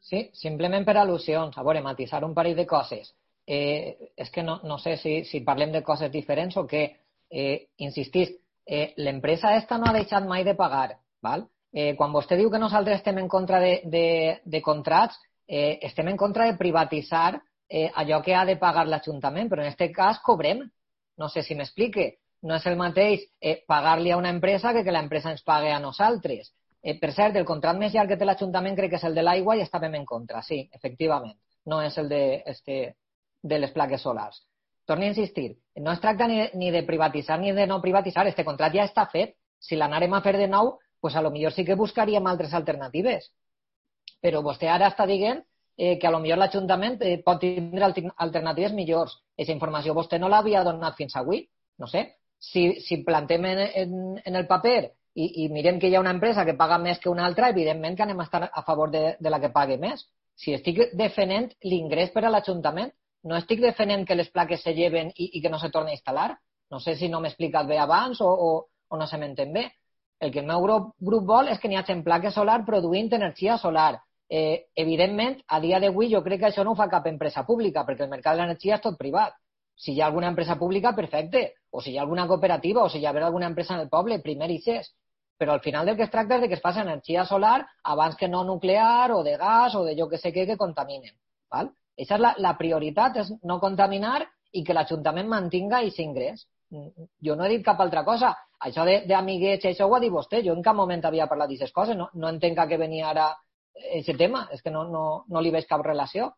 Sí, simplement per al·lusions. A veure, matisar un parell de coses. És que no sé si parlem de coses diferents o què. Insistís, l'empresa esta no ha deixat mai de pagar, val? Quan vostè diu que nosaltres estem en contra de contrats, estem en contra de privatitzar allò que ha de pagar l'Ajuntament, però en aquest cas cobrem. No sé si m'explique. No és el mateix pagar-li a una empresa que l'empresa ens pague a nosaltres. Per cert, el contracte més llarg que té l'Ajuntament crec que és el de l'aigua i estàvem en contra, sí, efectivament. No és el de les plaques solars. Torno a insistir, no es tracta ni de privatitzar ni de no privatitzar, este contracte ja està fet. Si l'anàrem a fer de nou, pues a lo millor sí que buscaríem altres alternatives. Però vostè ara està dient que a lo millor l'Ajuntament pot tindre alternatives millors. Aquesta informació vostè no l'havia donat fins avui. No sé, si plantem en el paper i mirem que hi ha una empresa que paga més que una altra, evidentment que anem a estar a favor de la que pagui més. Si estic defendent l'ingrés per a l'Ajuntament, no estic defendent que les plaques se lleven i que no se torni a instal·lar. No sé si no m'he explicat bé abans o no se m'entén bé. El que el meu grup vol és que n'hi hagi plaques solar produint energia solar. Evidentment, a dia d'avui jo crec que això no ho fa cap empresa pública, perquè el mercat de l'energia és tot privat. Si hi ha alguna empresa pública, perfecte. O si hi ha alguna cooperativa o si hi ha alguna empresa en el poble, primer i ses. Però al final del que es tracta és de que es faci energia solar abans que no nuclear o de gas o de jo que sé què que contaminen. Val? Aquesta és la prioritat, és no contaminar i que l'Ajuntament mantinga aquest ingrés. Jo no he dit cap altra cosa. Això d'amiguets, això ho ha dit vostè. Jo en cap moment havia parlat d'aquestes coses. No entenc a què venia ara aquest tema. És que no li veig cap relació.